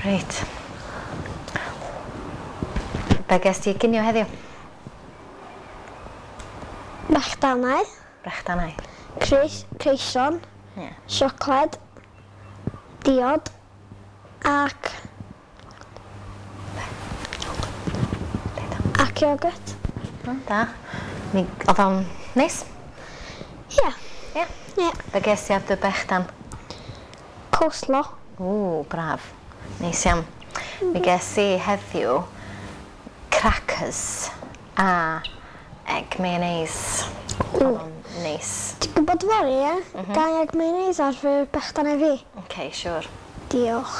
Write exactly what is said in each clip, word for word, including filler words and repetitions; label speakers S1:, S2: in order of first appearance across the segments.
S1: Reit. Be ges ti i ginio heddiw?
S2: Brechdanau.
S1: Brechdanau.
S2: Cris, creison.
S1: Ie.
S2: Siocled. Diod. Ac... Ac iogwrt.
S1: O, da. Mi, oedd o'n neis?
S2: Ie.
S1: Ie?
S2: Ie.
S1: Be ges ti ar dy bechdan?
S2: Coleslaw.
S1: Ww, braf. Neis iawn. Mi ges i heddiw crackers a egg mayonnaise. Oedd o'n neis.
S2: Ti'n gwybod fory, ie? Gai egg mayonnaise ar fy bechdanau fi?
S1: Ok, siŵr.
S2: Diolch.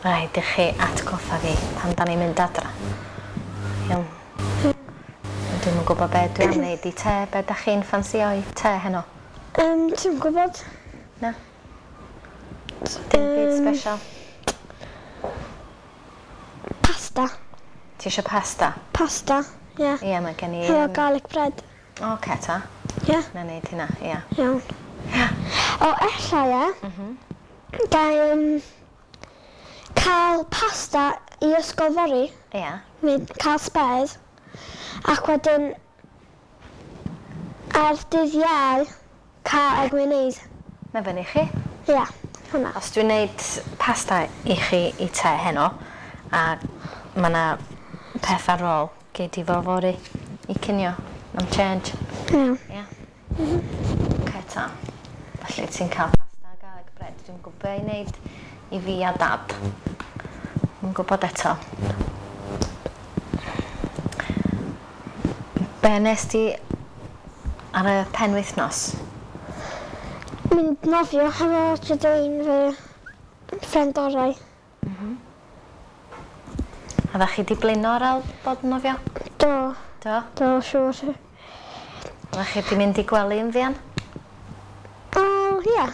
S1: Rhaid i chi atgoffa fi pan da ni'n mynd adra. Iawn. Dwi'm yn gwybod be dwi am wneud i te. Be da chi'n ffansio i te heno?
S2: Um, ti'n gwybod?
S1: Na. Dim byd special.
S2: Pasta.
S1: Ti eisiau pasta?
S2: Pasta, ie.
S1: Ie, mae gen i...
S2: Hefo
S1: yym,
S2: garlic bread.
S1: Oce ta.
S2: Ie.
S1: Na wneud hynna, ie.
S2: Iawn.
S1: Ie.
S2: O, ella, ie.
S1: Mhm.
S2: Gai um, cael pasta i ysgol fory.
S1: Ie.
S2: Neu cael spares. Ac wedyn ar dydd Iau cael egg mayonnaise.
S1: Mae fyny i chi.
S2: Ie, hwnna.
S1: Os dwi'n neud pasta i chi i te heno, a mae yna peth ar ôl, gei di fo fory i cinio am change.
S2: Iawn.
S1: Ie. Oce ta. Felly ti'n cael pasta a garlic bread. Dwi'n gwybod be i wneud i fi a dad. Dwi'n gwybod eto. Be nes di ar y penwythnos?
S2: Mynd nofio hefo Jadine, fy ffrind orau.
S1: Oeddech chi di blino ar ôl bod yn nofio?
S2: Do.
S1: Do?
S2: Do, siŵr.
S1: Oeddech chi di mynd i gwely yn fuan?
S2: O, ie.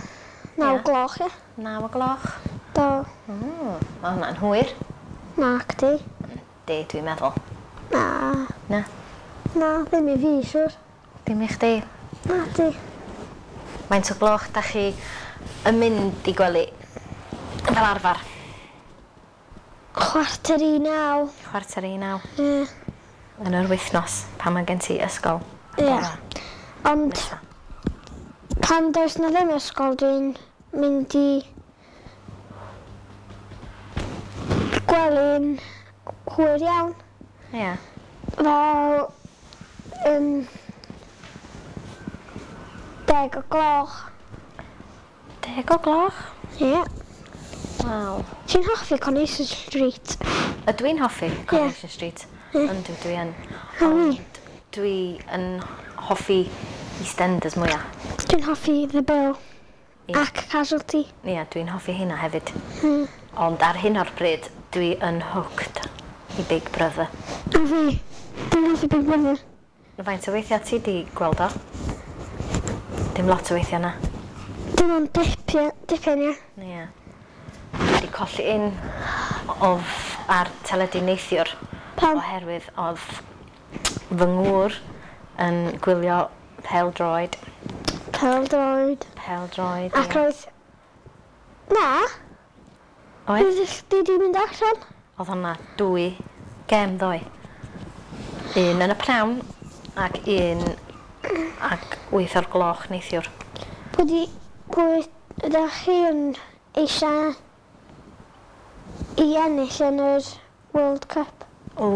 S2: Naw
S1: Ie.
S2: gloch, ie.
S1: Naw o gloch?
S2: Do.
S1: Mm, mae hwnna'n hwyr.
S2: Nac di.
S1: Di, dwi'n meddwl.
S2: Na.
S1: Na?
S2: Na, ddim i fi, siŵr.
S1: Dim i chdi.
S2: Na, di.
S1: Faint o gloch da chi yn mynd i gwely fel arfer?
S2: Chwarter i naw.
S1: Chwarter i naw.
S2: Ie.
S1: Yn yr wythnos pan mae gen ti ysgol.
S2: Ie.
S1: Bore
S2: Ond
S1: nesa.
S2: pan does na ddim ysgol, dwi'n mynd i gwely'n hwyr iawn.
S1: Ie.
S2: Fel um, deg o gloch.
S1: Deg o gloch?
S2: Ie.
S1: Waw.
S2: Ti'n hoffi Coronation Street?
S1: Ydw i'n hoffi Coronation Street?
S2: Ie.
S1: Yndw, dwi yn.
S2: Mm.
S1: Ond dwi yn hoffi EastEnders mwyaf.
S2: Dwi'n hoffi The Bill.
S1: Ie.
S2: Ac Casualty.
S1: Ie, dwi'n hoffi hynna hefyd.
S2: Mm.
S1: Ond ar hyn o'r bryd, dwi yn hooked i Big Brother.
S2: A fi. Dwi'n hoffi Big Brother.
S1: Faint o weithiau ti di gweld o? Dim lot o weithiau na.
S2: Dim ond dipyn, dipyn, ie.
S1: Ie. Dwi wedi colli un of ar teledu neithiwr.
S2: Pam?
S1: Oherwydd oedd fy ngŵr yn gwylio pêl-droed.
S2: Pêl-droed.
S1: Pêl-droed,
S2: Ac
S1: ie.
S2: roedd... Na.
S1: Oedd?
S2: Roedd chdi di mynd allan.
S1: Oedd hwnna dwy gem ddoe. Un yn y pnawn ac un ac wyth o'r gloch neithiwr.
S2: Pwy di... Pwy ydych chi yn eisiau i ennill yn yr World Cup?
S1: O,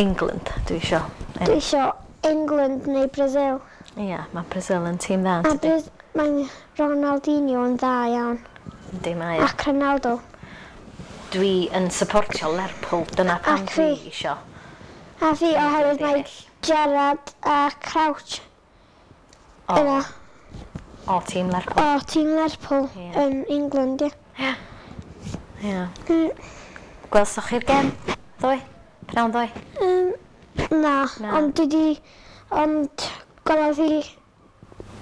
S1: England, dwi isio.
S2: Dwi isio England neu Brazil.
S1: Ie, mae Brazil yn tîm dda,
S2: A
S1: yn dydi?
S2: Braz- mae Ronaldinho yn dda iawn.
S1: Yndi, mae o.
S2: Ac Ronaldo.
S1: Dwi yn supportio Lerpwl, dyna pam
S2: Ac
S1: dwi
S2: fi.
S1: isio.
S2: A fi oherwydd
S1: di
S2: mae
S1: ennill.
S2: Gerrard a Crouch
S1: O,
S2: yna.
S1: o tîm Lerpwl.
S2: O, tîm Lerpwl
S1: Ie.
S2: yn England, ie.
S1: Ie. Ie.
S2: Mm,
S1: Gwelsoch chi'r gem ddoe? Pnawn ddoe?
S2: Um, na,
S1: Na.
S2: ond dwi di... Ond gwelodd i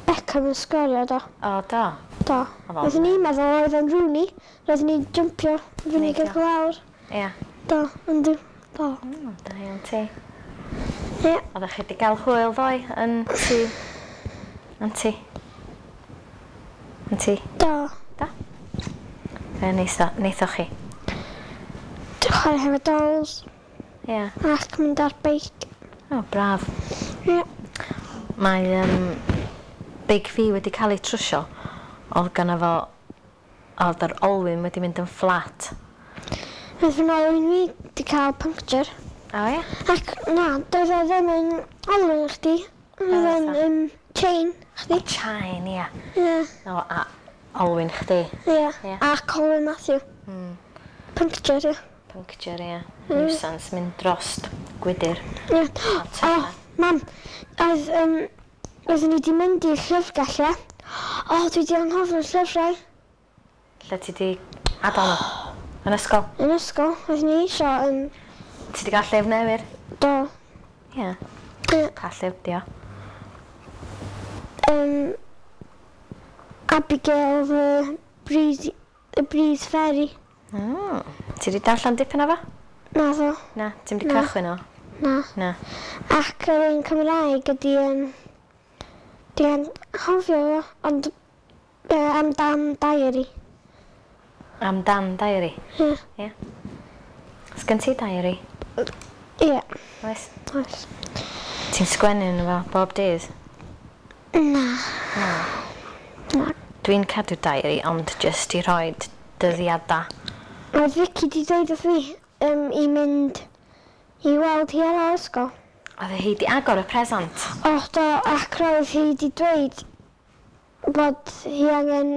S2: Beckham yn sgorio, do.
S1: O, do.
S2: Do.
S1: Oedd o'n-
S2: Roeddwn i'n meddwl oedd o'n Rooney. Roeddwn i'n jumpio fyny
S1: Neidio.
S2: gyda lawr.
S1: Ie.
S2: Do, ond do. Do.
S1: Mm, da iawn ti.
S2: Ie.
S1: Oeddech chi wedi cael hwyl ddoe yn tŷ? Yn tŷ? Yn tŷ?
S2: Do.
S1: Da? Be neithoch chi?
S2: Dwi'n chwarae hefo dolls.
S1: Ie. Yeah.
S2: Ac mynd ar beic.
S1: O, oh, braf.
S2: Ie. Yeah.
S1: Mae um, beic fi wedi cael ei trwsio. Oedd gynno fo... Oedd yr olwyn wedi mynd yn fflat.
S2: Oedd fy olwyn fi wedi cael puncture.
S1: O, ie?
S2: Ac na, doedd o ddim yn olwyn chdi. Oedd o'n um, chain chdi.
S1: O, chain, ie.
S2: Ie.
S1: O, a olwyn chdi.
S2: Ie. Yeah. Ac olwyn Matthew.
S1: Mm.
S2: Puncture, ie.
S1: Puncture, ie. Mm. Nuisance, mynd drost gwydyr.
S2: Ie. O, mam, oedd, um, oeddwn ni wedi mynd i'r llyfrgell, ie. O, dwi wedi anghofio'r llyfrau.
S1: Lle ti di adael nhw? Yn ysgol?
S2: Yn ysgol, oeddwn ni eisiau... Um,
S1: ti di gael llyfr newydd?
S2: Do.
S1: Ie.
S2: Yeah.
S1: Pa llyfr di o?
S2: Um, Abigail the Breeze, the Breeze Fairy.
S1: Mm. Ti di darllen dipyn o fo?
S2: Na ddo.
S1: Na, ti'n di cychwyn o?
S2: Na.
S1: Na.
S2: Ac yr un Cymraeg ydi... Um, Dwi'n anghofio fo, ond uh, amdan diary.
S1: Amdan diary?
S2: Ie.
S1: Ie. Sgen ti diary?
S2: Ie.
S1: Oes?
S2: Oes.
S1: Ti'n sgwennu yn fo bob dydd?
S2: Na.
S1: Na.
S2: Na.
S1: Dwi'n cadw diary, ond jyst i rhoi dyddiadau.
S2: Mae Vicky di dweud wrth fi um, i mynd i weld hi ar ôl ysgol.
S1: Oedd hi di agor y presant?
S2: O, do, ac roedd hi di dweud bod hi angen...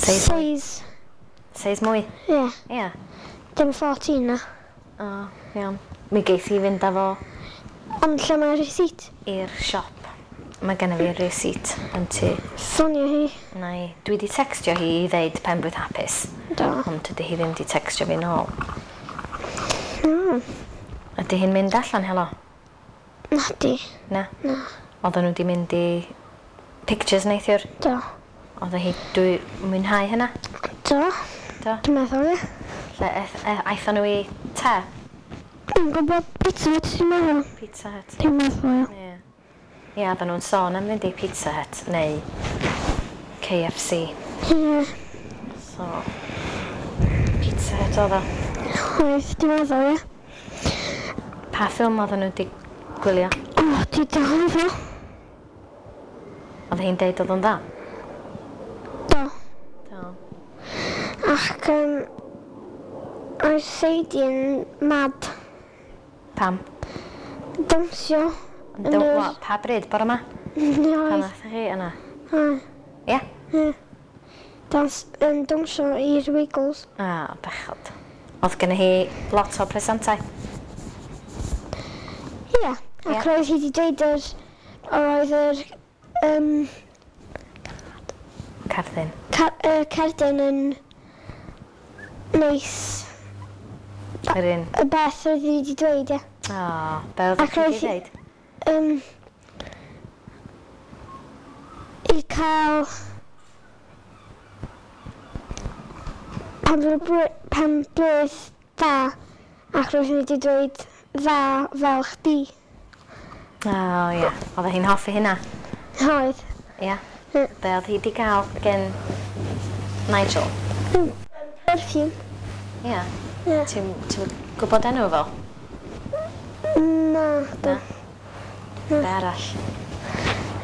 S1: Seis.
S2: Seis.
S1: Seis mwy?
S2: Ie.
S1: Yeah. Ie. Yeah.
S2: Dim fourteen na.
S1: O, iawn. Mi geith hi fynd â fo...
S2: Ond lle mae'r receipt?
S1: I'r siop. Mae genna fi receipt yn tŷ.
S2: Ffonio hi.
S1: Na i. Dwi di textio hi i ddeud penblwydd hapus.
S2: Do.
S1: Ond dydy hi ddim di textio fi nôl.
S2: Mm.
S1: Ydy hi'n mynd allan helo?
S2: Na di.
S1: Na?
S2: Na.
S1: Oedden nhw di mynd i pictures neithiwr?
S2: Do.
S1: Oedd hi dwi mwynhau hynna?
S2: Do.
S1: Do?
S2: Dwi'n meddwl, ie.
S1: Lle aethon nhw i te?
S2: Dwi'n gwybod Pizza Hut, dwi'n meddwl.
S1: Pizza Hut.
S2: Dwi'n meddwl, ie.
S1: Ie. Ie, oedden nhw'n sôn am fynd i Pizza Hut neu K F C.
S2: Ie.
S1: So, Pizza Hut oedd o?
S2: Oedd, dwi'n meddwl, ie.
S1: Pa ffilm oedden nhw wedi gwylio?
S2: O, dwi di anghofio.
S1: Oedd hi'n deud oedd o'n dda?
S2: Do.
S1: Do.
S2: Ac, um, oedd Sadie yn mad.
S1: Pam?
S2: Dawnsio.
S1: Yn yr... Pa bryd? Bore yma?
S2: Oedd.
S1: Pan aethoch chi yna?
S2: Oedd.
S1: Ie?
S2: Ie. Dans, yn dawnsio i'r Wiggles.
S1: Ah, bechod. Oedd genna hi lot o presentau?
S2: Ie. Ac roedd hi wedi dweud yr... Oedd yr... Um,
S1: Cerdyn.
S2: Car, uh, cerdyn yn... Neis.
S1: Yr un?
S2: Y beth oedd hi wedi dweud, ie.
S1: O, be oedd hi wedi dweud?
S2: Um, I cael... Pen blwydd dda, ac roedd hi wedi dweud dda fel chdi.
S1: O, ie. Oedd hi'n hoffi hynna?
S2: Oedd.
S1: Ie. Be oedd hi wedi gael gen Nigel?
S2: Perfume.
S1: Ie.
S2: Ie.
S1: Ti'n ti gwybod enw fo?
S2: Na.
S1: Na. Be arall?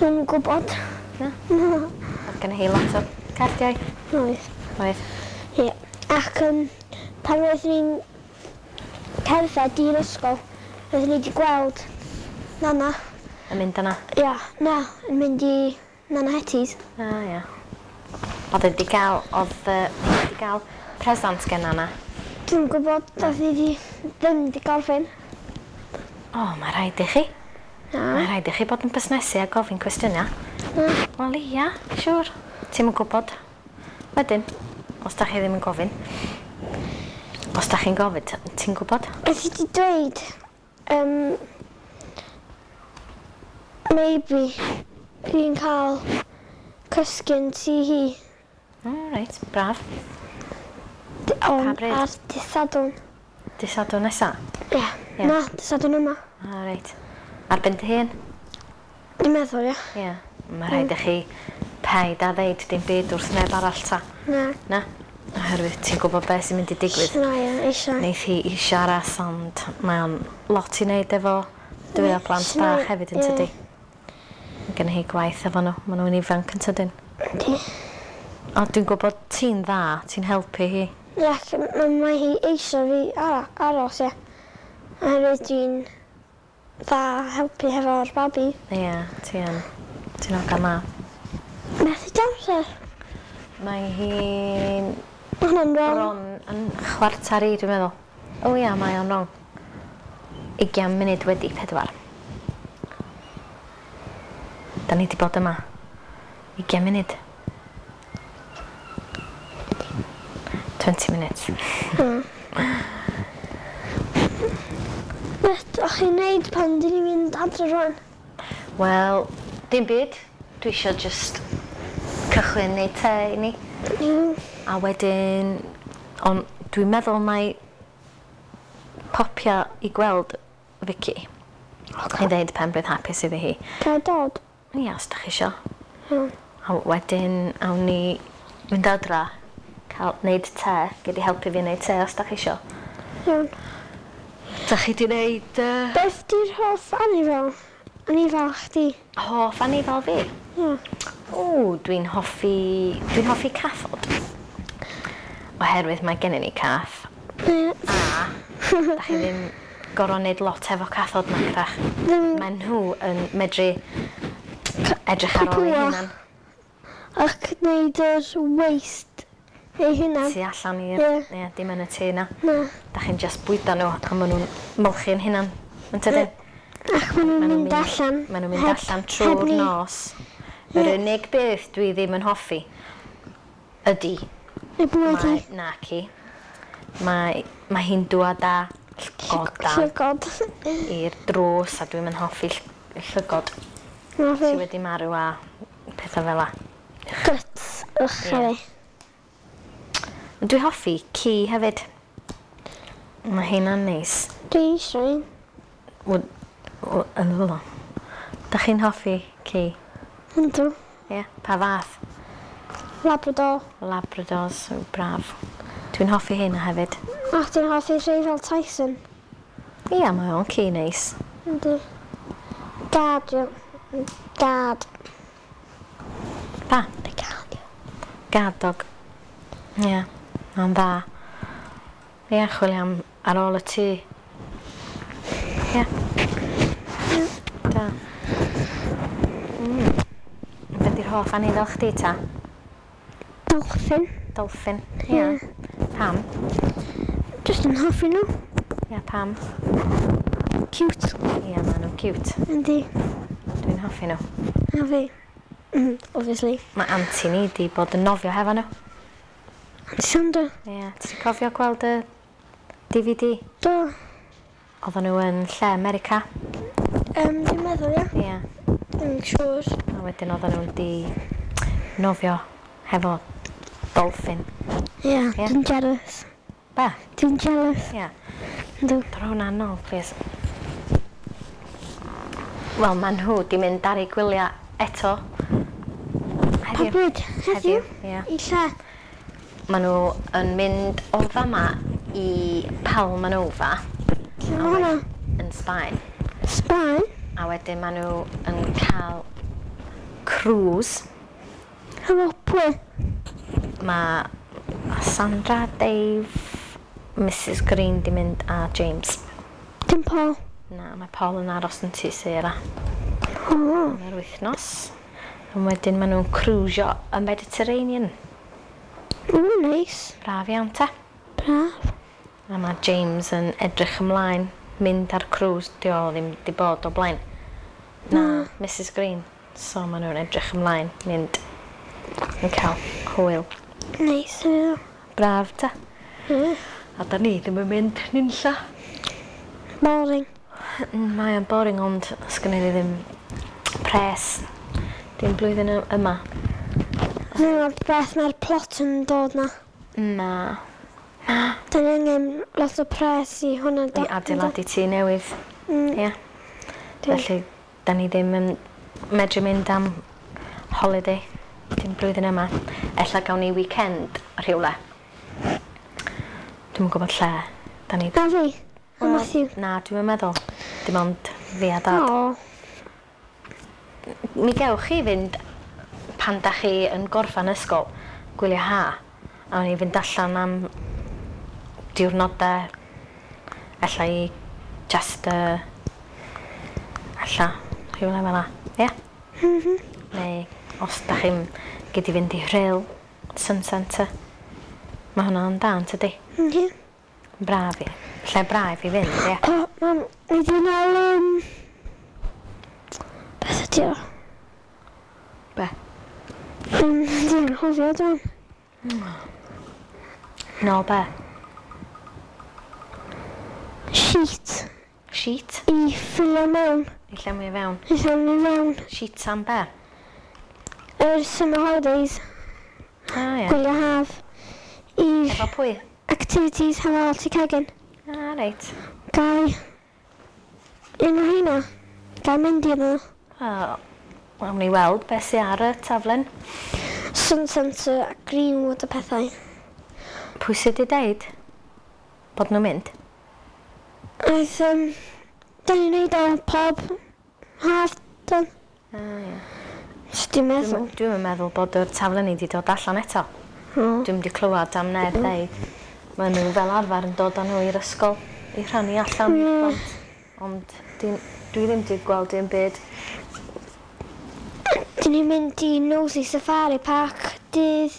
S2: Dwi'n gwybod.
S1: Na?
S2: Na.
S1: Oedd gen hi lot o cardiau?
S2: Oedd.
S1: Oedd.
S2: Ie. Ac um, pan roeddwn ni'n cerdded i'r ysgol, roeddwn ni wedi gweld Nana.
S1: Yn mynd yna?
S2: Ia, na, yn mynd i Nana Hetty's.
S1: Ah, ia. Oedd wedi gael, oedd hi wedi gael presant gen Nana?
S2: Dwi'n gwybod, oedd hi wedi ddim wedi gorffen.
S1: O, mae rhaid i chi.
S2: Na.
S1: Mae rhaid i chi bod yn busnesu a gofyn cwestiynau.
S2: Na.
S1: Wel, ia, siŵr. Ti'm yn gwybod. Wedyn, os da chi ddim yn gofyn. Os da chi'n gofyn, ti'n gwybod?
S2: Oedd hi wedi dweud, um, maybe fi'n cael cysgu yn tŷ hi.
S1: O, reit, braf.
S2: On,
S1: Pa bryd?
S2: Ar dydd Sadwrn.
S1: Dydd Sadwrn nesa?
S2: Ie.
S1: Ie.
S2: Na, dydd Sadwrn yma.
S1: O, reit. Ar ben dy hun?
S2: Dwi'n meddwl, ie.
S1: Ie. Mae rhaid i chi Paid a ddeud dim byd wrth neb arall ta.
S2: Na.
S1: Na? Oherwydd ti'n gwybod beth sy'n mynd i digwydd.
S2: Na, ie, eisiau.
S1: Neith hi isio aros, ond mae o'n lot i wneud efo dwy o plant bach hefyd yn tydi. Mae gen hi gwaith efo nhw, maen nhw'n ifanc yn tydyn.
S2: Yndi.
S1: O, dwi'n gwybod ti'n dda, ti'n helpu hi.
S2: Ie, mae hi eisiau fi aros, ie. Oherwydd dwi'n dda helpu hefo'r babi.
S1: Ie, ti yn. Ti'n hogan dda.
S2: Beth ydi amser?
S1: Mae hi'n...
S2: Mae hwnna'n wrong.
S1: Bron yn chwarter i, dwi'n meddwl. O ia, mae o'n wrong. Ugian munud wedi pedwar. Da ni di bod yma. Ugian munud. Twenty minutes.
S2: Mm. Beth o'ch chi'n neud pan dyn ni'n mynd adre rwan?
S1: Wel, dim byd. Dwi isio just cychwyn neud te i ni.
S2: Mm.
S1: A wedyn, ond dwi'n meddwl mai popio i gweld Vicky.
S2: Okay.
S1: I ddeud pen-blwydd hapus iddi hi.
S2: Ga i dod?
S1: Ia, os da chi isio.
S2: Mm.
S1: A wedyn, awn ni mynd adra, cael neud te, gei di helpu fi neud te os da chi isio.
S2: Iawn.
S1: Da chi di neud... Uh...
S2: Beth di'r hoff anifal? Anifal chdi?
S1: Hoff anifal fi?
S2: Ie.
S1: O, dwi'n hoffi... Dwi'n hoffi cathod. Oherwydd mae gennyn ni cath.
S2: Ie.
S1: A da chi ddim gorfod neud lot efo cathod nac.
S2: Ddim...
S1: Mae nhw yn medru edrych ar ôl eu hunan.
S2: Ac neud yr waste eu hunan.
S1: Tu allan i'r...
S2: Ie.
S1: Ie, dim yn y tŷ na.
S2: Na.
S1: Da chi'n just bwydo nhw a maen nhw'n molchi'n hunan. Yn tydyn?
S2: Ac maen nhw'n mynd allan.
S1: Maen nhw'n mynd allan trwy'r nos. Yr unig beth dwi ddim yn hoffi ydy...
S2: Y bwyd hi.
S1: Naci. Mae, mae hi'n dŵad â llygodan.
S2: Llygod.
S1: I'r drws a dwi'm yn hoffi llygod.
S2: Na fi.
S1: Sy wedi marw a pethau fel 'a.
S2: Guts. Ych,
S1: yeah. Dwi hoffi ci hefyd. Mae heina'n neis.
S2: Dwi eisiau un.
S1: W- w- yn ddwl. Da chi'n hoffi ci?
S2: Yndw.
S1: Ie. Yeah. Pa fath?
S2: Labrador.
S1: Labradors, oh, braf. Dwi'n hoffi heina hefyd.
S2: A chdi'n hoffi rhai fel Tyson?
S1: Ia, mae o'n ci neis.
S2: Yndi. Gad, yw. Gad.
S1: Pa?
S2: Gad, yw.
S1: Gad dog. Ie, yeah, mae'n dda. Ie, chwilio am ar ôl y tŷ. Ie.
S2: Yeah.
S1: Da. Mm. Be di'r hoff anifal chdi ta?
S2: Dolphin.
S1: Dolphin, ie. Yeah. Pam?
S2: Just yn hoffi nhw.
S1: Ie, yeah, pam?
S2: Cute.
S1: Ie, yeah, maen nhw'n cute.
S2: Yndi.
S1: Dwi'n hoffi nhw.
S2: A fi. Mm, obviously.
S1: Mae auntie ni di bod yn nofio hefo nhw.
S2: Auntie Sandra.
S1: Ie, yeah. Ti'n cofio gweld y D V D?
S2: Do.
S1: Oedden nhw yn lle America.
S2: Um, dwi'n meddwl, ie.
S1: Ie. Yeah.
S2: Dwi'n siŵr.
S1: A wedyn oedden nhw'n di nofio hefo dolphin.
S2: Ie, yeah,
S1: yeah.
S2: Dwi'n jealous.
S1: Be?
S2: Dwi'n jealous.
S1: Ie. Yeah.
S2: Yndw.
S1: Dro hwnna nôl, please. Wel, maen nhw di mynd ar eu gwyliau eto.
S2: Pa
S1: Heddiw.
S2: bryd? Heddiw?
S1: Ie.
S2: I lle?
S1: Maen nhw yn mynd o fama i Palma Nova.
S2: Lle ma' hwnna?
S1: Yn Sbaen.
S2: Sbaen?
S1: A wedyn maen nhw yn cael cruise.
S2: Hefo pwy?
S1: Mae Sandra, Dave, Missus Green di mynd a James.
S2: Dim Paul?
S1: Na, mae Paul yn aros yn tŷ Sarah.
S2: O.
S1: Am yr wythnos. A wedyn maen nhw'n cruisio y Mediterranean.
S2: O, neis.
S1: Braf iawn ta.
S2: Braf.
S1: A mae James yn edrych ymlaen, mynd ar cruise. Di o ddim di bod o blaen. Na,
S2: Na.
S1: Missus Green. So maen nhw'n edrych ymlaen, mynd yn cael hwyl.
S2: Neis, ie.
S1: Braf ta.
S2: Ie.
S1: A da ni ddim yn mynd nunlla.
S2: Boring.
S1: Mae o'n boring ond sgynny ni ddim pres. Dim blwyddyn yma.
S2: Dyna'r beth mae'r plot yn dod na.
S1: Na. Na.
S2: Da ni angen lot o pres i hwnna.
S1: I adeiladu tŷ newydd.
S2: Mm.
S1: Ie. Felly, da ni ddim yn medru mynd am holiday. Dim blwyddyn yma. Ella gawn ni weekend rhywle. Dwi'm yn gwybod lle. Da ni...
S2: Na fi. A Matthew.
S1: Na, dwi'm yn meddwl. Dim ond fi a Dad.
S2: O.
S1: Mi gewch chi fynd pan da chi yn gorffan ysgol, gwylio ha. A o'n i fynd allan am diwrnodau, ella i Chester, ella rhywle fel 'na, ie?
S2: Mhm.
S1: Neu os da chi'n gyd i fynd i Rhyl, Sun Centre. Mae hwnna'n da, yn tydi?
S2: Yndi.
S1: Braf i. Lle braf i fynd, ie.
S2: O, mam, ni di nôl, um, beth ydi o?
S1: Be?
S2: Um, Dwi'n anghofio dwi'n.
S1: Nôl be?
S2: Sheet.
S1: Sheet?
S2: I ffilio mewn.
S1: I llenwi i fewn.
S2: I llenwi mewn.
S1: Sheet am be?
S2: Yr summer holidays.
S1: Ah, ie.
S2: Gwylio haf. I
S1: Efo pwy?
S2: Activities hefo Alti Cegin.
S1: Ah, reit.
S2: Gai un o heina. Gai mynd i yno.
S1: Wel, awn ni weld beth sy ar y taflen.
S2: Sun Centre a Greenwood a pethau.
S1: Pwy sydd wedi deud bod nhw'n mynd?
S2: Aeth, um, da ni'n neud o pob haf, dan.
S1: Ah, ie.
S2: Dwi'n meddwl.
S1: Dwi'm yn meddwl bod yr taflen ni wedi dod allan eto.
S2: O.
S1: Dwi'm wedi clywed am neb ddeud. Maen nhw fel arfer yn dod â nhw i'r ysgol i rhannu allan i'r plant. Ond dwi, dwi ddim wedi gweld dim byd.
S2: Dyn ni'n mynd i Nosy Safari Park dydd...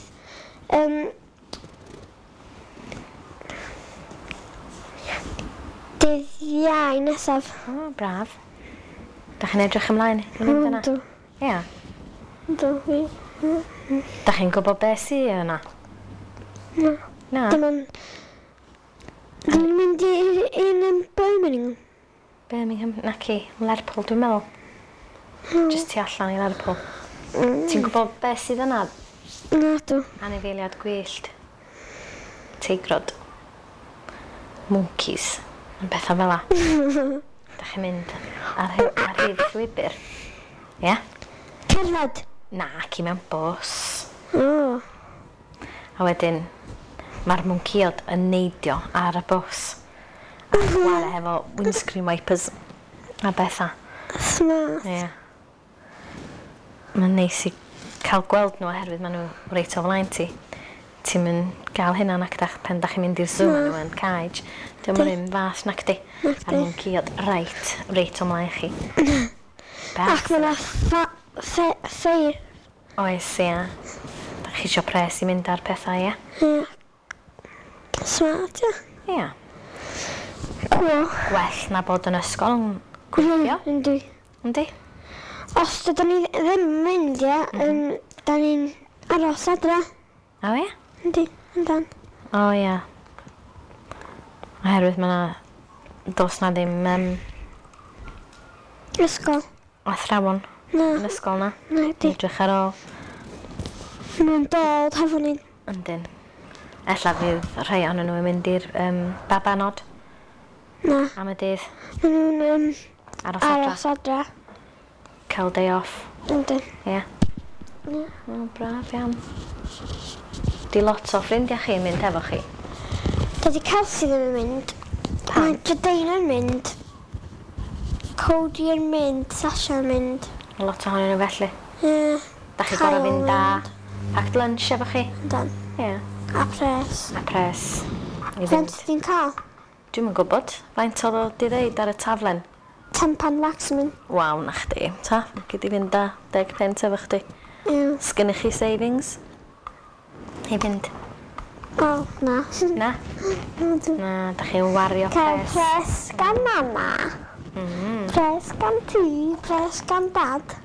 S2: Um, dydd Iau nesaf.
S1: O, braf. Da chi'n edrych ymlaen i fynd yna?
S2: Yndw.
S1: Ia.
S2: Yndw, fi.
S1: Da chi'n gwybod beth sydd yna?
S2: Na.
S1: Na.
S2: Dim ond... Dyn ni'n mynd i un yn Birmingham.
S1: Birmingham, naci, Lerpwl dwi'n meddwl. Just tu allan i Lerpwl.
S2: Mm.
S1: Ti'n gwybod beth sydd yna?
S2: Na, dw.
S1: Anifeiliad gwyllt. Teigrod. Monkeys. Yn bethau fel 'a. Da chi'n mynd ar, hy- ar hyd llwybr. Ie?
S2: Cerdded.
S1: Na, ci mewn bws.
S2: O.
S1: A wedyn, mae'r mwnciod yn neidio ar y bws. A chwarae hefo windscreen wipers a bethau.
S2: Smart.
S1: Ie. Mae'n neis i cael gweld nhw oherwydd maen nhw reit o flaen ti. Ti'n mynd gael hynna nac dach pan dach chi'n mynd i'r zoo maen nhw yn cage. Dio'm yr un fath nacdi.
S2: Nacdi.
S1: A'r mwnciod reit, reit o mlaen chi.
S2: Ac mae yna ffa- ffe- ffair.
S1: Oes, ia. Da chi isio pres i mynd ar pethau, ia?
S2: Ie. Smart, ie.
S1: Ia.
S2: Cool.
S1: Gwell na bod yn ysgol yn gweithio,
S2: Yndi.
S1: yndi?
S2: Os dydyn ni ddim yn mynd, ie, mm da ni'n aros adra.
S1: O ia?
S2: Yndi, yndan.
S1: O ia. Oherwydd mae 'na... Does na ddim um,
S2: Ysgol.
S1: athrawon
S2: Na,
S1: yn ysgol na.
S2: na, di.
S1: Edrych ar ôl.
S2: Mae'n dod hefo ni.
S1: Yndyn. Ella fydd rhai ohonyn nhw yn mynd i'r um, babanod
S2: Na,
S1: am y dydd.
S2: maen nhw'n um,
S1: Aros adra.
S2: aros adra.
S1: Cael day off.
S2: Yndi.
S1: Ie.
S2: Ie.
S1: O, braf iawn. Di lot o ffrindiau chi yn mynd efo chi?
S2: Dydy Kelsey ddim yn mynd.
S1: Pam?
S2: Mae Jadaina yn mynd. Cody yn mynd. Sasha yn mynd.
S1: Lot ohonyn nhw felly.
S2: Ie.
S1: Da chi
S2: Kyle
S1: gorau fynd â
S2: yn
S1: packed lunch efo chi?
S2: Yndan.
S1: Ie.
S2: A pres.
S1: A pres. I
S2: Faint
S1: fynd.
S2: ti'n cael?
S1: Dwi'm yn gwybod. Faint oedd o di ddeud ar y taflen?
S2: Ten pound maximum.
S1: Waw, na chdi. Ta, gyd i fynd â deg punt efo chdi.
S2: Ie.
S1: Sgynnych chi savings? I fynd?
S2: O, na.
S1: Na?
S2: Na, dwi-
S1: Na, da chi'n wario
S2: Cael
S1: pres.
S2: pres gan mama.
S1: Mm.
S2: Pres gan ti. Pres gan dad.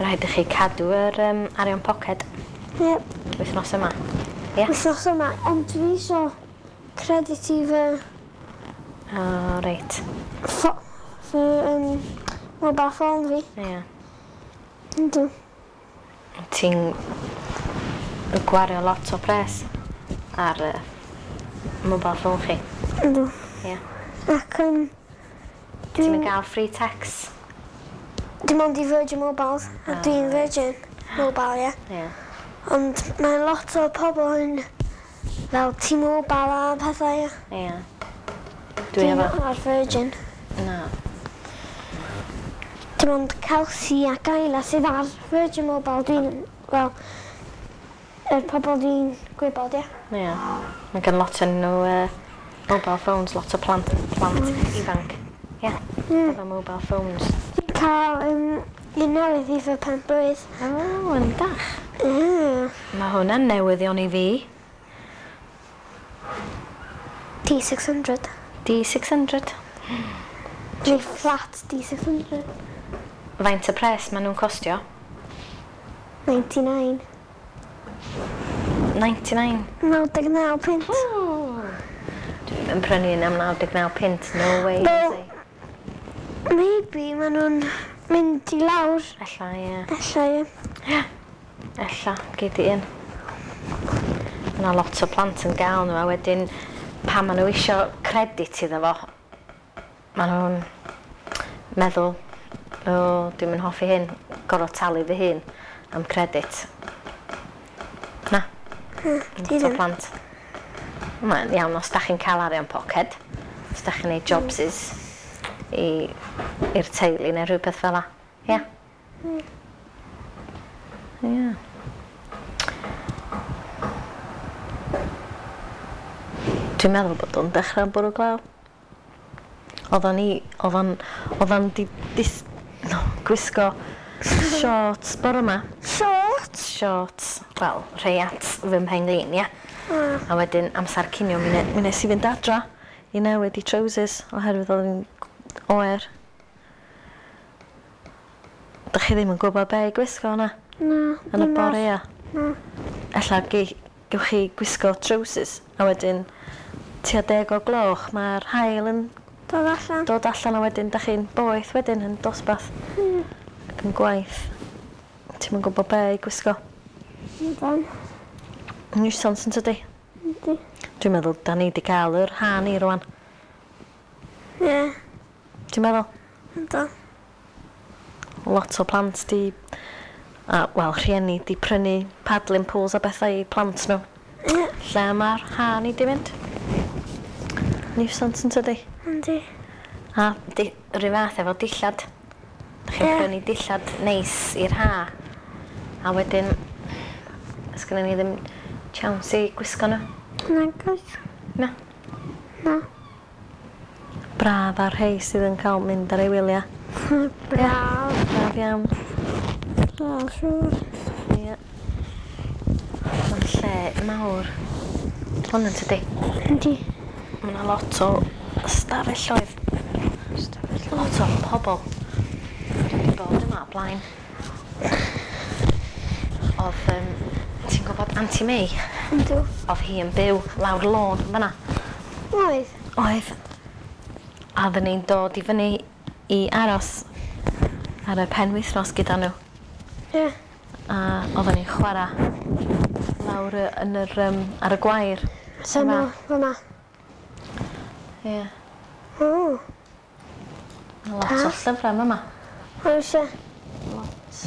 S1: Rhaid i chi cadw yr um, arian poced
S2: Ie.
S1: wythnos yma. Ie?
S2: Wythnos yma. Ond dwi isio credit i fy...
S1: O, reit.
S2: ffo- fy um, mobile phone fi.
S1: Ie.
S2: Yndw.
S1: Ti'n gwario lot o pres ar uh, mobile phone chi.
S2: Yndw.
S1: Ie.
S2: Ac um,
S1: Ti'n
S2: dwi'n
S1: gael free text?
S2: Dim ond i Virgin Mobiles, a
S1: Ah,
S2: dwi'n Virgin. Mobile, ie.
S1: Ie.
S2: Ond mae lot o pobl yn fel T-Mobile a pethau, ie.
S1: Ie. Dwi efo...
S2: Ar Virgin.
S1: Na.
S2: Dim ond Kelsey ac Ayla sydd ar Virgin Mobile. Dwi'n, wel, yr pobl dwi'n gwybod, ie.
S1: Ie. Mae gen lot yn nhw uh, mobile phones, lot o plant, plant mm. ifanc. Ie. Yeah. Mm. Efo mobile phones.
S2: Dwi'n cael um, un newydd i fy pen blwydd.
S1: O, oh, yn dach.
S2: Mm.
S1: Mae hwnna'n newyddion i fi.
S2: D six hundred.
S1: D six hundred.
S2: Neu flat D six hundred.
S1: Faint y pres maen nhw'n costio?
S2: ninety-nine.
S1: ninety-nine?
S2: naw deg naw punt.
S1: Dwi'm yn prynu un am naw deg naw punt, no way.
S2: Well, maybe maen nhw'n mynd i lawr.
S1: Ella, ie.
S2: Ella, ie.
S1: Ie. Ella, gei di un. Mae yna lot o plant yn gael nhw, a wedyn pan maen nhw isio credit iddo fo, maen nhw'n meddwl, o, dwi'm yn hoffi hyn, gorfod talu fy hun am credit. Na. Lot o plant. Mae'n iawn os da chi'n cael arian poced, os da chi'n neud jobsys i i'r teulu neu rhywbeth fel 'a. Ia? Ia. Dwi'n meddwl bod o'n dechrau bwrw glaw. Oeddan ni, oeddan, oeddan di, dis, no, gwisgo shorts bore yma.
S2: Shorts?
S1: Shorts. Wel, rhai at fy mhen-glin, ia.
S2: Mm.
S1: A wedyn amser cinio mi, ne, mi nes i fynd adra i newid i trousers oherwydd oedd hi'n oer. Dych chi ddim yn gwybod be i gwisgo na?
S2: Na.
S1: Yn y bore, ia?
S2: Na.
S1: Ella gewch chi gwisgo trousers a wedyn tua deg o gloch mae'r haul yn
S2: dod allan.
S1: Dod allan a wedyn dach chi'n boeth wedyn yn dosbarth.
S2: Mm.
S1: Ac yn gwaith. Ti'm yn gwybod be i gwisgo.
S2: Yndan.
S1: Nuisance yn tydi?
S2: Yndi.
S1: Dwi'n meddwl da ni di gael yr ha ni rwan.
S2: Ie. Yeah.
S1: Ti'n meddwl?
S2: Yndan.
S1: Lot o plant di, a, wel, rhieni di prynu paddling pools a bethau i plant nhw.
S2: Ie. Yeah.
S1: Lle mae'r ha ni di mynd? Nuisance yn tydi?
S2: Yndi.
S1: A di, rhyw fath efo dillad. Dach chi'n
S2: yeah.
S1: prynu dillad neis i'r ha. A wedyn, sgynnon ni ddim chance i gwisgo nhw.
S2: Nag oes.
S1: Na.
S2: Na.
S1: Braf ar rhei sydd yn cael mynd ar ei wyliau.
S2: Braf.
S1: Braf iawn.
S2: Braf, siŵr.
S1: Ie. Mae'n lle mawr. Hwn yn tydi?
S2: Yndi.
S1: Mae yna lot o stafelloedd. Lot o pobl. Dwi wedi bod yma o blaen. Oedd, um, ti'n gwybod Auntie May?
S2: Yndw.
S1: Oedd hi yn byw lawr lôn fan'na.
S2: Oedd?
S1: Oedd. A oedden ni'n dod i fyny i aros ar y penwythnos gyda nhw.
S2: Ie. Yeah.
S1: A oedden ni'n chwarae lawr yn yr, um, ar y gwair.
S2: So yma, fyma.
S1: Ie. Yeah.
S2: O.
S1: Lot o llyfrau yma.
S2: Oes e?
S1: Lot.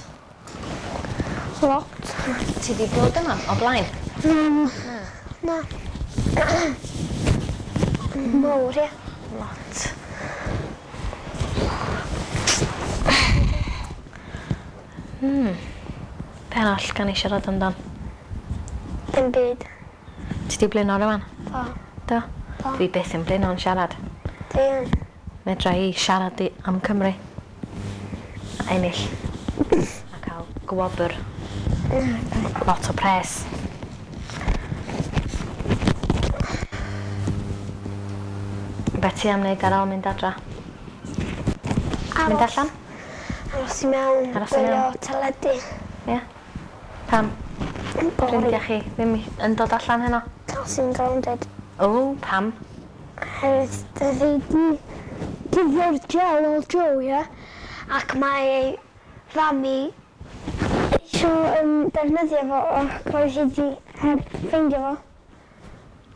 S2: Lot.
S1: Ti di bod yma o blaen?
S2: Na. Na. Mawr, ie.
S1: Lot. Hmm. Be arall gan i siarad amdan?
S2: Dim byd.
S1: Ti di blino rwan?
S2: Do.
S1: Do?
S2: Do.
S1: Dwi byth yn blino'n siarad.
S2: Dwi yn.
S1: Medra i siarad i am Cymru. A ennill. A cael gwobr. Lot o pres. Be ti am wneud ar ôl mynd adra?
S2: Aros.
S1: Mynd allan?
S2: Aros i mewn.
S1: Aros i mewn.
S2: Gwylio teledu.
S1: Ie. Pam? Ffrindiau chi ddim yn dod allan heno?
S2: Kelsey'n grounded.
S1: O, pam?
S2: Oherwydd doedd hi di gyda'r gel o'r Joe, ie? Ac mae ei fam i eisiau um, defnyddio fo ac roedd hi di heb ffeindio fo.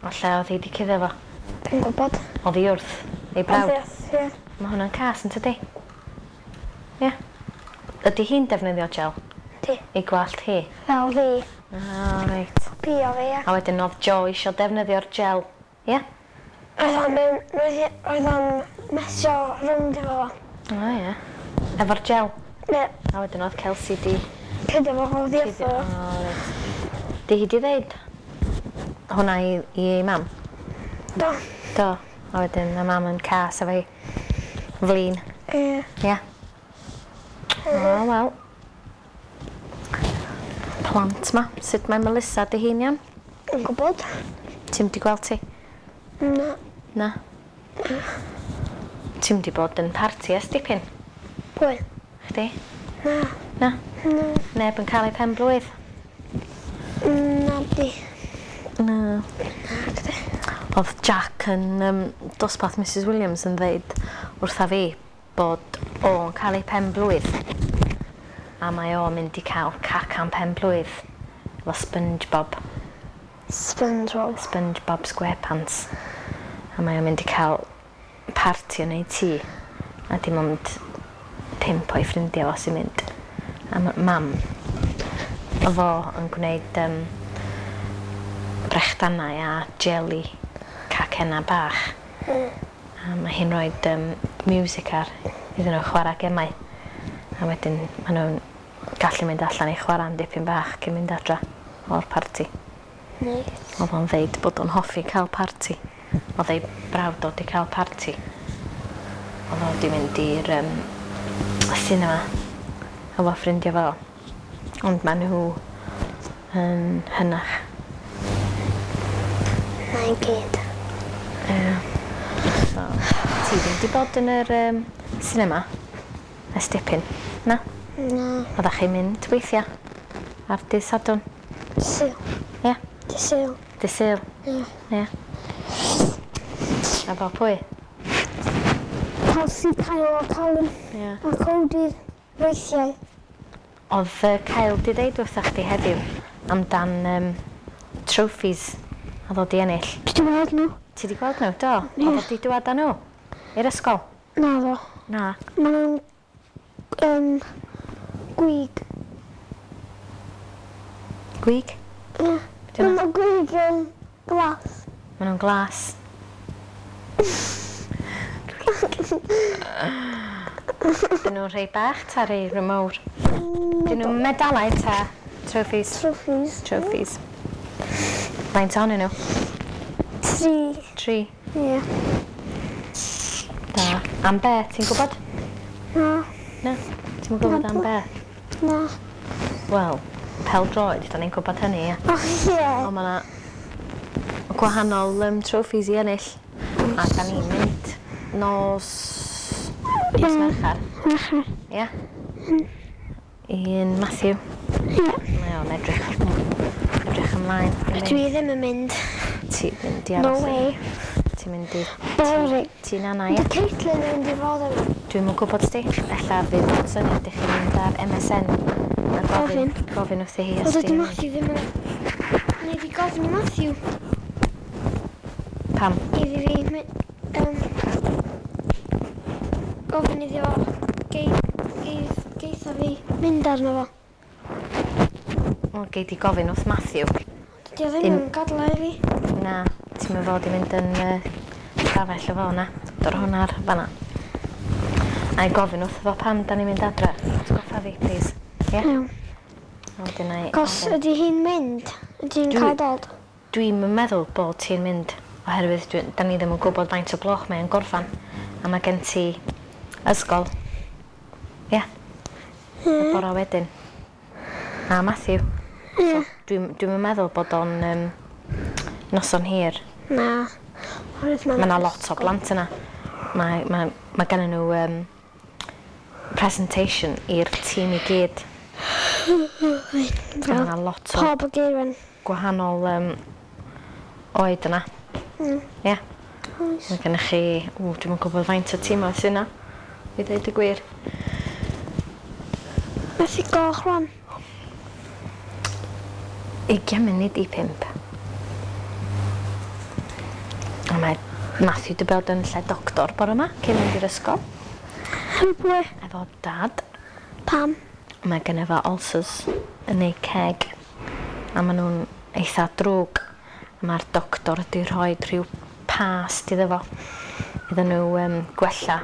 S1: O lle oedd hi di cuddio fo?
S2: Dwi'n gwybod.
S1: Oedd hi wrth ei brawd?
S2: Oedd hi wrth, ie.
S1: Mae hwnna'n cas yn tydi? Ie. Ydy hi'n defnyddio gel?
S2: hi.
S1: I gwallt hi?
S2: Fel fi.
S1: Ah, reit.
S2: Copio fi, ia.
S1: A wedyn oedd Joe isio defnyddio'r gel, ie?
S2: Roedd o'n mewn, roedd hi- roedd o'n mesio rownd efo fo.
S1: O, ie. Efo'r gel?
S2: Ie.
S1: A wedyn oedd Kelsey di...
S2: Cuddio fo oddi wrtho
S1: O,
S2: fo.
S1: reit. Di hi di ddeud hwnna i, i ei mam?
S2: Do.
S1: Do. A wedyn mae mam yn cas efo hi. Flin.
S2: Ie.
S1: Ie. O, wel. Plant ma. Sut mae Melissa dy hi'n iawn?
S2: Yn gwybod?
S1: Ti'm di gweld ti?
S2: Na.
S1: Na. Ti'm di bod yn parti ers dipyn?
S2: Pwy?
S1: Chdi?
S2: Na.
S1: Na?
S2: Na.
S1: Neb yn cael ei pen blwydd?
S2: Na di.
S1: Na.
S2: Na, gdi.
S1: Oedd Jack yn um, dosbarth Mrs Williams yn ddeud wrtha fi bod o'n cael ei pen blwydd a mae o'n mynd i cael cacan pen blwydd efo SpongeBob.
S2: SpongeBob.
S1: SpongeBob SquarePants. A mae o'n mynd i cael parti yn ei tŷ a dim ond pump o'i ffrindiau fo sy'n mynd. A ma' mam o fo yn gwneud um, brechdanau a jelly cacenna bach.
S2: Mm.
S1: A mae hi'n rhoi um, music ar iddyn nhw chwarae gemau. A wedyn maen nhw'n gallu mynd allan i chwarae am dipyn bach cyn mynd adra o'r parti.
S2: Neis.
S1: Oedd o'n ddeud bod o'n hoffi cael parti. Oedd ei brawd o 'di cael parti. Oedd o 'di mynd i'r um, cinema efo ffrindiau fo. Ond maen nhw yn hynach.
S2: Na i gyd.
S1: Ie. So, ti ddim 'di bod yn yr um, cinema ers dipyn, na?
S2: Na.
S1: Oeddech chi'n mynd weithiau ar dydd Sadwrn?
S2: Sul.
S1: Ie?
S2: Dydd Sul.
S1: Dydd Sul?
S2: Ie.
S1: Ie. A fo pwy?
S2: Kelsey, Kyle a Colin.
S1: Ie.
S2: A Cody weithiau.
S1: Oedd uh, Kyle di ddeud wrtha chdi heddiw amdan um, trophies oedd o di ennill.
S2: Dwi 'di weld nhw.
S1: Ti di gweld nhw? Do?
S2: Ie.
S1: Oedd o di dŵad â nhw? I'r ysgol?
S2: Na ddo.
S1: Na.
S2: Maen nhw'n um, gwig.
S1: Gwig?
S2: Ie.
S1: Be' 'di hwnna?
S2: Maen nhw'n gwig yn glas.
S1: Maen nhw'n glas. Dyn nhw'n rhai bach ta rhai rhai mawr? Dyn nhw'n medalau ta trophies?
S2: Trophies.
S1: Trophies. Faint ohonyn nhw?
S2: Tri.
S1: Tri.
S2: Ie.
S1: Da. Am be, ti'n gwybod?
S2: Na.
S1: Na? Ti'n gwybod am be?
S2: Na.
S1: Wel, pel-droed, da ni'n gwybod hynny, ie.
S2: O, ie.
S1: Ond mae 'na gwahanol um, trophies i ennill. A da ni'n mynd nos... nos Mercher.
S2: Mercher.
S1: Ie. Un Matthew.
S2: Ie.
S1: Mae o'n edrych, edrych ymlaen.
S2: Dwi ddim yn mynd.
S1: Ti'n mynd i
S2: No
S1: aros.
S2: way.
S1: Ti'n mynd i...
S2: Boring.
S1: Ti'n nana, ie?
S2: Di Caitlin yn mynd i fod yma.
S1: Dwi'm yn gwybod sti. Ella fydd o'n syniad i chi mynd ar M S N a gofyn, gofyn wrthi hi os
S2: Wel, dydy
S1: di'n...
S2: Matthew ddim yn... Nei di gofyn i Matthew
S1: Pam?
S2: iddi fi... my- Um, gofyn iddi fo gei, gei, geitha fi mynd arno fo.
S1: O, gei di gofyn wrth Matthew.
S2: Dydy o ddim
S1: Un-
S2: yn gadael i fi.
S1: Na, ti'n mynd fod i mynd yn uh, stafell efo na. Dor hwnna ar fan'na. A i gofyn wrth fo pam da ni'n mynd adre. Atgoffa fi, please. Ie?
S2: Iawn.
S1: A wedyn na i
S2: Cos
S1: ofyn.
S2: ydy hi'n mynd? Ydy hi'n
S1: Dwi-
S2: cael dod?
S1: Dwi'm yn meddwl bod ti'n mynd oherwydd dwi, da ni ddim yn gwybod faint o gloch mae'n gorffan. A mae gen ti ysgol. Ie. Y bora wedyn. A Matthew.
S2: Ie.
S1: So, dwi'n dwi'n meddwl bod o'n um, noson hir.
S2: Na. Oherwydd
S1: Mae yna lot o blant yna. Mae, mae, mae gennyn nhw um, presentation i'r tîm i gyd. So, mae yna lot o
S2: Pob o geirwen.
S1: gwahanol um, oed yna.
S2: Mm.
S1: Ie.
S2: Oes.
S1: Mae gennych chi, ww, dwi'm yn gwybod faint o tîmoedd sy'n yna, i ddeud y gwir.
S2: Methu goch rwan.
S1: Ugian munud i pump. A mae Matthew 'di bod yn lle doctor bore yma, cyn mynd i'r ysgol,
S2: Pwy?
S1: efo dad.
S2: Pam?
S1: Mae genna fo ulcers yn ei ceg a maen nhw'n eitha drwg. Mae'r doctor wedi rhoi rhyw past iddo fo iddyn nhw um, gwella.